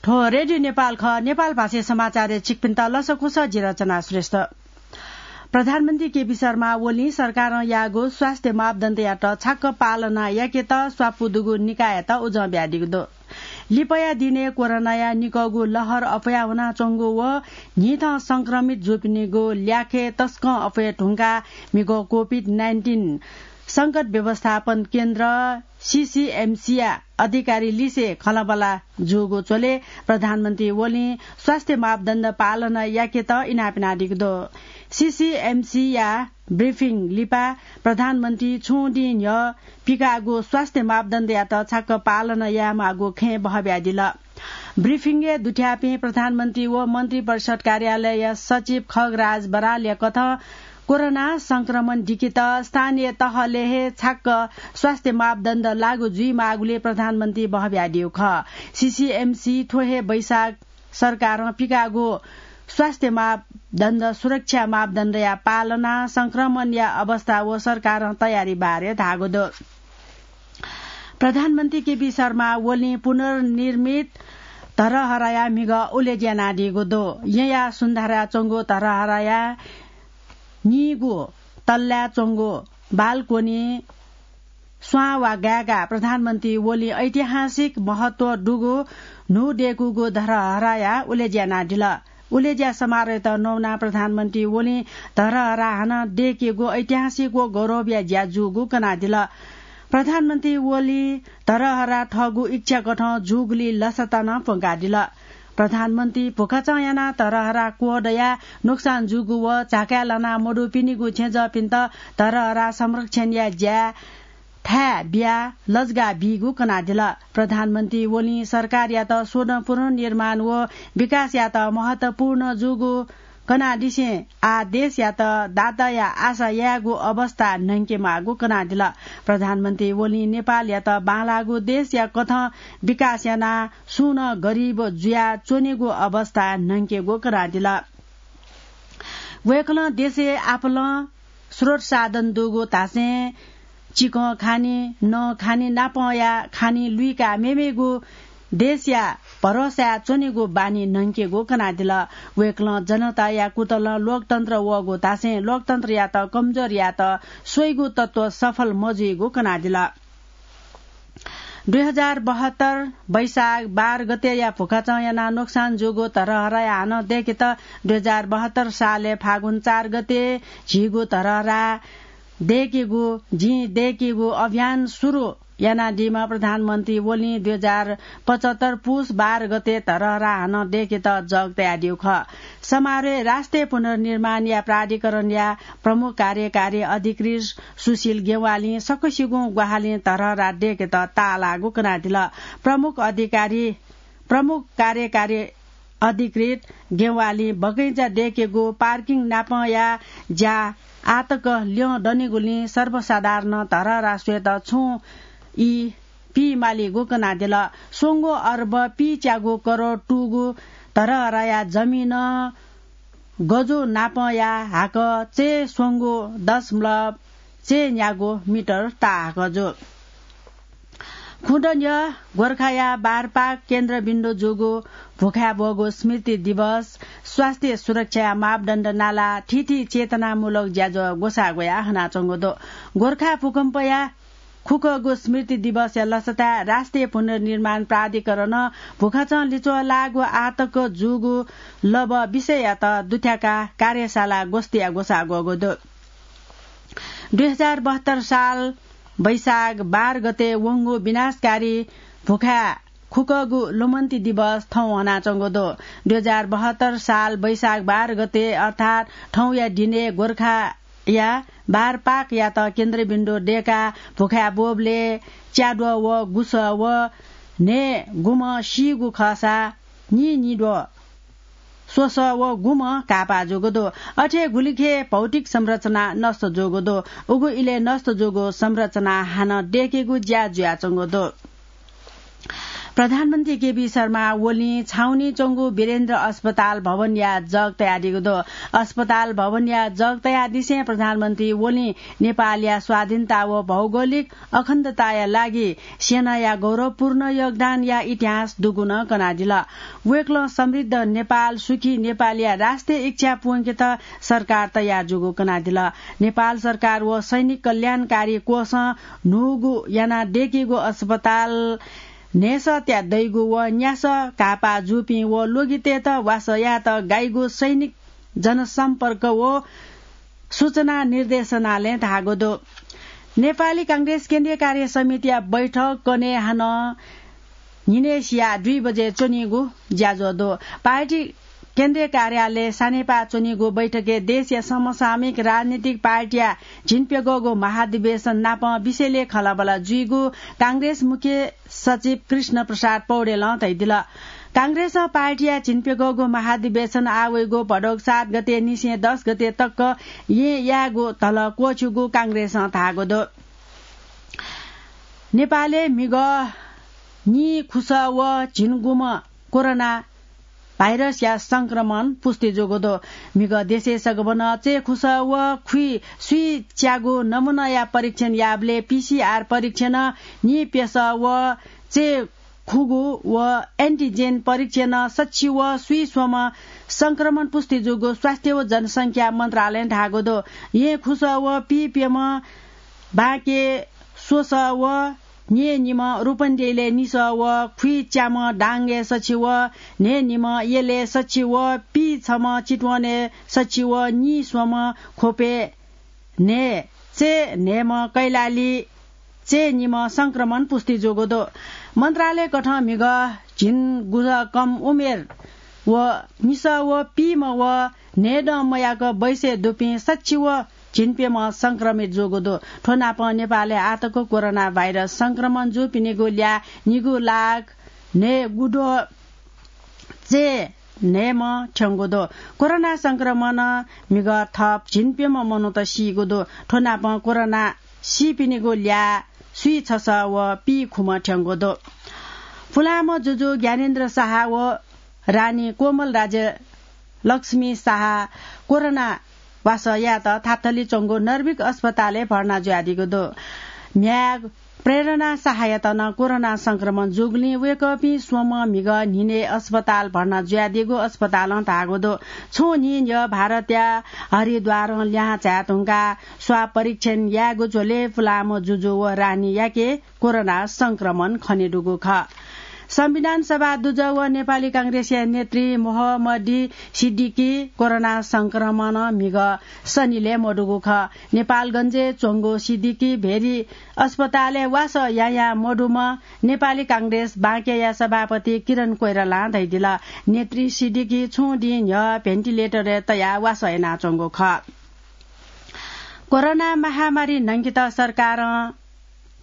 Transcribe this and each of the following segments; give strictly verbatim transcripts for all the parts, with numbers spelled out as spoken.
थ्व रेडियो नेपाल खः। नेपाल भाषाय् समाचारय् छिकपिन्त लसकुस, जि रचना श्रेष्ठ। प्रधानमन्त्री केपी शर्मा ओलीं सरकारं याःगु स्वास्थ्य मापदण्डयात छाक्क पालना याकेत स्वापू दुगु निकाययात उजं बियादीगु दु। लिपाया दिनय् कोरोनाया निकःगु लहर अप्वया वनाच्वंगु व न्हिथं संक्रमित जूपिनिगु ल्याखय् तसकं अप्वये धुंकाः म्हिगः कोभिड नाइन्टिन संकट व्यवस्थापन केन्द्र, सीसीएमसीया अधिकारी लिसे खँल्हाबल्हा जूगु झ्वलय् प्रधानमन्त्री ओलीं स्वास्थ्य मापदण्ड पालना याकेत इनाप यानादीगु दु। सीसीएमसीया ब्रिफिङ लिपा प्रधानमन्त्री छुं दिं न्ह्यः पिकाःगु स्वास्थ्य मापदण्डयात छाक्क पालना यायेमाःगु खँय् बहः बियादिल। ब्रिफिङय् दुथ्याःपिं प्रधानमन्त्री व मन्त्रिपरिषद कार्यालयया सचिव खगराज बरालया कथं कोरोना संक्रमण दिकेत स्थानीय तहलय् हे छाक्क स्वास्थ्य मापदण्ड लागू जुइमाःगुलिं प्रधानमन्त्री बहः बियादीगु खः। सीसीएमसी थ्व हे वैशाख सरकारं पिकाःगु स्वास्थ्य मापदण्ड, सुरक्षा मापदण्डया पालना, संक्रमणया अवस्था व सरकारं तयारी बारे धाःगु दु। प्रधानमन्त्री केपी शर्मा ओलीं पुनर्निर्मित धरहराया म्हिगः उलेज्या यानादीगु दु। येँया सुन्धाराच्वंगु धरहराया नीगू तल्लाय् च्वंगु बालकोनी स्वां वा गाय्‌गाः प्रधानमन्त्री ओलीं ऐतिहासिक महत्व दुगु न्हू दय्‌कूगु धरहराया उलेज्या यानादिल। उलेज्या समारोहयात नवानाः प्रधानमन्त्री ओलीं धरहरा हानं दय्‌केगु ऐतिहासिक व गौरवया ज्या जूगु कनादिल। प्रधानमन्त्री ओलीं धरहरा थःगु इच्छा कथं जूगुलिं लसता नं प्वंकादिल। प्रधानमन्त्री भुखाचं यानाः धरहरा क्वदयाः नोक्सान जूगु व झाकाय् लाना मदुपिनिगु थेंजःपिन्त धरहरा संरक्षणया ज्याय् थाय् बियाः लजगाः बीगु कनादिल। प्रधानमन्त्री ओलीं सरकारयात स्वदँ पुनर्निर्माण व विकासयात महत्वपूर्ण जूगु कनादिसें आः देशयात दाताया आशा यायेगु अवस्था न्हंकेमाःगु कनादिल। प्रधानमन्त्री ओलीं नेपालयात बांलाःगु देशया कथं विकास यानाः सुं नं गरिब जुयाः च्वनेगु अवस्था न्हंकेगु कनादिल। वय्‌कलं देशय् आपालं स्रोत साधन दुगु धासें चिकं खानी, नं खानी नापंया खानी लुइकाः मेमेगु देशया भरोसाय् च्वनेगु बानी न्हंकेगु कनादिल। वय्‌कलं जनताया कुतलं लोकतन्त्र वःगु धासें लोकतन्त्रयात कमजोर यायेत स्वइगु तत्व सफल मजुइगु कनादिल। दुई हजार बहत्तर वैशाख बाह्र गतेया भुखाचं यानाः नोक्सान जूगु धरहराया हानं दय्‌केत दुई हजार बहत्तर सालय् फागुन चार गते झीगु धरहरा दय्‌केगु, जिं दय्‌केगु अभियान सुरु यानादीम्ह प्रधानमन्त्री ओलीं दुई हजार पचहत्तर पुस बाह्र गते धरहरा हानं दय्‌केत जग तयादीगु खः। समारोहय् राष्ट्रिय पुनर्निर्माणया प्राधिकरणया प्रमुख कार्यकारी अधिकृत सुशील गेवालीं सकसिगुं ग्वाहालिं धरहरा दय्‌केत ताःलाःगु कनादिल। प्रमुख अधिकारी, प्रमुख कार्यकारी अधिकृत गेवालीं बगैंचा दय्‌केगु पार्किङ नापंया ज्या आःतक ल्यं दनिगुलिं सर्वसाधारणं धरहरा स्वयेत छुं ई पीमालीगु कनादिल। स्वंगू अर्ब पीच्यागू करोड तूगु धरहराया जमिन गजू नापंया हाकः चय् स्वंगू दशमलव चय् न्यागू मिटर ताहाकः जू। खुदँ न्ह्यः गोर्खाया बारपाक केन्द्रबिन्दु जूगु भुखाय् ब्वःगु स्मृति दिवस, स्वास्थ्य सुरक्षाया मापदण्ड नालाः थीथी चेतनामूलक ज्याझ्वः ग्वसाः ग्वयाः हनाच्वंगु दु। गोर्खा भूकम्पया खुकःगु स्मृति दिवसया लसताय् राष्ट्रिय पुनर्निर्माण प्राधिकरणं भुखाचं लिच्वः लाःगु आःतक जूगु लबः विषययात दुथ्याकाः कार्यशाला गोष्ठीया ग्वसाः ग्वःगु दु। दुई हजार बहत्तर साल वैशाख बाह्र गते वंगु विनाशकारी भुखाय् खुकःगु लुमन्ति दिवस थौं हनाच्वंगु दु। दुई हजार बहत्तर साल वैशाख बाह्र गते अर्थात् थौंया दिनय् गोर्खाया बारपाकयात केन्द्रबिन्दु दय्‌काः भुखाय् ब्वःबलय् च्याद्वः व गुसः व न्हय्‌गुम्ह सीगु खःसा नीनिद्वः स्वसः व गुम्ह घाःपाः जूगु दु। अथे गुलिखे भौतिक संरचना नष्ट जूगु दु। उगु इलय् नष्ट जूगु संरचना हानं दय्‌केगु ज्या जुयाच्वंगु दु। प्रधानमन्त्री केपी शर्मा ओलीं छाउनी च्वंगु वीरेन्द्र अस्पताल भवनया जग तयादीगु दु। अस्पताल भवनया जग तयादिसें प्रधानमन्त्री ओलीं नेपालया स्वाधीनता व भौगोलिक अखण्डताया लागि सेनाया गौरवपूर्ण योगदानया इतिहास दुगुनं कनादिल। वय्कलं समृद्ध नेपाल, सुखी नेपालया राष्ट्रिय इच्छा पूवंकेत सरकार तयार जूगु कनादिल। नेपाल सरकार व सैनिक कल्याणकारी कोषं न्हूगु याना दय्कीगु अस्पताल न्हय्सः त्या दइगु व न्यासः घाःपाः जूपिं व ल्वगितय्त वासः यायेत गाइगु सैनिक जनसम्पर्क व सूचना निर्देशनालयं धाःगु दु। नेपाली कांग्रेस केन्द्रीय कार्य समितिया बैठक कन्हय् हानं न्हिनय् सिया दुई बजे च्वनीगु ज्याझ्वः दु। पार्टी केन्द्रीय कार्यालय सानेपाः च्वनीगु बैठकय् देशया समसामयिक राजनीतिक पार्टीया झिंप्यघौगु महाधिवेशन नाप विषयलय् खँल्हाबल्हा जुइगु कांग्रेस मुख्य सचिव कृष्ण प्रसाद पौडेलं धयादिल। कांग्रेसं पार्टीया झिंप्यघौगु महाधिवेशन आः वइगु भदौ सात गते निसें दस गते तक येँ यायेगु धलः क्वःछिउगु कांग्रेसं धाःगु दु। नेपालय् म्हिगः नीखुसः व झिंगुम्ह कोरोना भाइरसया संक्रमण पुष्टि जूगु दु। म्हिगः देशय् सगबनं चय्खुसः व खुइ सुइच्यागु नमुनाया परीक्षण याःबलय् पीसीआर परीक्षणं नीप्यसः व चय्खुगु व एन्टिजेन परीक्षणं सछि व सुइस्वम्ह संक्रमण पुष्टि जूगु स्वास्थ्य व जनसंख्या मन्त्रालयं धाःगु दु। येँखुसः व पीप्यम्ह बाँके स्वसः व न्हय्निम्ह रूपन्देहीलय् निसः व खुइच्याम्ह डाङगय् सछि व न्हय्निम्ह यलय् सछि व पीछम्ह चितवनय् सछि व नीस्वम्ह ख्वपय् न्हय् चय्न्हय्म्ह कैलाली चय्निम्ह संक्रमण पुष्टि जूगु दु। मन्त्रालयकथं म्हिगः झिंगुसः कम उमेर व निसः व पीम्ह व न्हय्दँ मयाक बैसय् दुपिं सछि व झिंप्यम्ह संक्रमित जूगु दु। थ्व नाप नेपालय् आःतक कोरोना भाइरस संक्रमण जूपिनिगु ल्याः निगू लाख न्हय्गुद्वः चय्न्हय्म्ह थ्यंगु दु। कोरोना संक्रमणं म्हिगः थप झिंप्यम्ह मनूत सीगु दु। थ्व नाप कोरोना सीपिनिगु ल्याः सुइछसः व पीखुम्ह थ्यंगु दु। पुलांम्ह जुजु ज्ञानेन्द्र साहा व रानी कोमल राज्य लक्ष्मी साहा कोरोना वासः यायेत थातली च्वंगु नर्भिक अस्पतालय् भर्ना जुयादीगु दु। म्ह्याय् प्रेरणा साहायात नं कोरोना संक्रमण जूगुलिं वय्कःपिं स्वम्ह म्हिगः न्हिनय् अस्पताल भर्ना जुयादीगु अस्पतालं धाःगु दु। छुं न्हि न्ह्यः भारतया हरिद्वारं लिहां झाये धुंकाः स्वाब परीक्षण यायेगु झ्वलय् पुलांम्ह जुजु व रानीयाके कोरोना संक्रमण खनेदुगु खः। संविधान सभा दुजः व नेपाली कांग्रेसया नेतृ मोहम्मदी सिद्दिकी कोरोना संक्रमणं म्हिगः सनिलय् मदुगु खः। नेपालगञ्जय् च्वंगु सिद्दिकी भेरी अस्पतालय् वासः यायां मदुम्ह नेपाली कांग्रेस बाँकेया सभापति किरण कोइरालां धयादिल। नेतृ सिद्दिकी छुं दिं न्ह्यः भेन्टिलेटरय् तयाः वासः यानाच्वंगु खः। कोरोना महामारी न्हंकेत सरकारं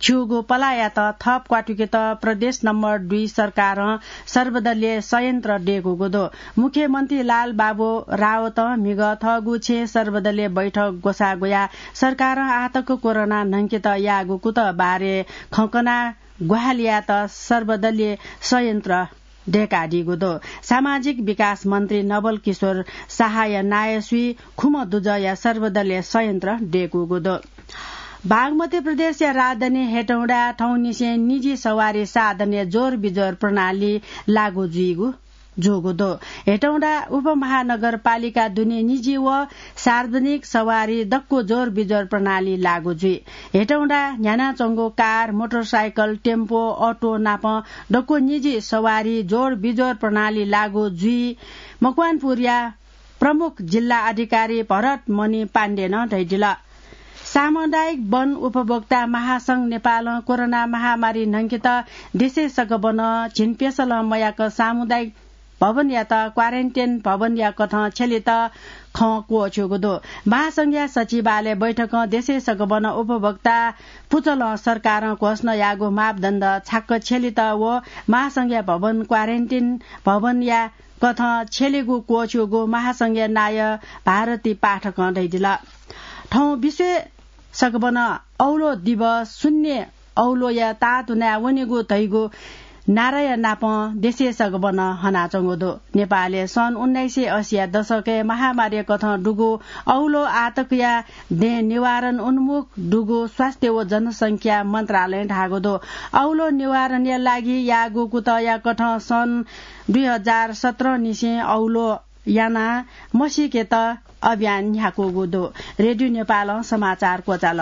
खिउगु पलाःयात थप क्वातुकेत प्रदेश नम्बर दुई सरकारं सर्वदलीय संयन्त्र दय्कूगु दु। मुख्यमन्त्री लालबाबु रावतं म्हिगः थःगु छेँय् सर्वदलीय बैठक ग्वसाः ग्वयाः सरकारं आःतक कोरोना न्हंकेत याःगु कुतः बारे खँ कनाः ग्वाहालि यायेत सर्वदलीय संयन्त्र दय्कादीगु दु। सामाजिक विकास मन्त्री नवल किशोर साहाया नायः स्वीखुम्ह दुजःया सर्वदलीय संयन्त्र दय्कूगु दु। बागमती प्रदेशया राजधानी हेटौँडाय् थौंनिसें निजी सवारी साधनय् जोर बिजोर प्रणाली लागू जुइगु जूगु दु। हेटौँडा उपमहानगरपालिका दुने निजी व सार्वजनिक सवारी दक्व जोर बिजोर प्रणाली लागू जुइ। हेटौँडा न्ह्यानाच्वंगु कार, मोटरसाइकल, टेम्पो, अटो नाप दक्व निजी सवारी जोर बिजोर प्रणाली लागू जुइ मकवानपुरया प्रमुख जिल्ला अधिकारी भरत मणि पाण्डेनं धयादिल। सामुदायिक वन उपभोक्ता महासंघ नेपालं कोरोना महामारी न्हंकेत देशय् सकबनं झिंप्यसलं मयाक सामुदायिक भवनयात क्वारेन्टाइन भवनया कथं छ्यलेत खँ क्वःछ्यूगु दु। महासंघया सचिवालय बैठकं देशय् सकबनं उपभोक्ता पुचलं सरकारं घोषणा याःगु मापदण्ड छाक्क छ्यलेत व महासंघया भवन क्वारेन्टाइन भवनया कथं छ्यलेगु क्वःछ्यूगु महासंघया नायः भारती पाठकं धयादिल। थौं विश्वय् सकबनं औलो दिवस शून्य औलोया तातुनाय् वनेगु धइगु नाराया नापं देशय् सगबनं हनाच्वंगु दु। नेपालय् सन् उन्नाइस सय अस्सीया दशकय् महामारीकथं दुगु औलो आतकया दँय् निवारण उन्मुख दुगु स्वास्थ्य व जनसंख्या मन्त्रालयं धाःगु दु। औलो निवारणया लागि याःगु कुतःयाकथं सन् दुई हजार सत्र निसें औलो यानाः मसीकेत अभियान न्ह्याकूगु दु। रेडियो नेपालं समाचार क्वचाल।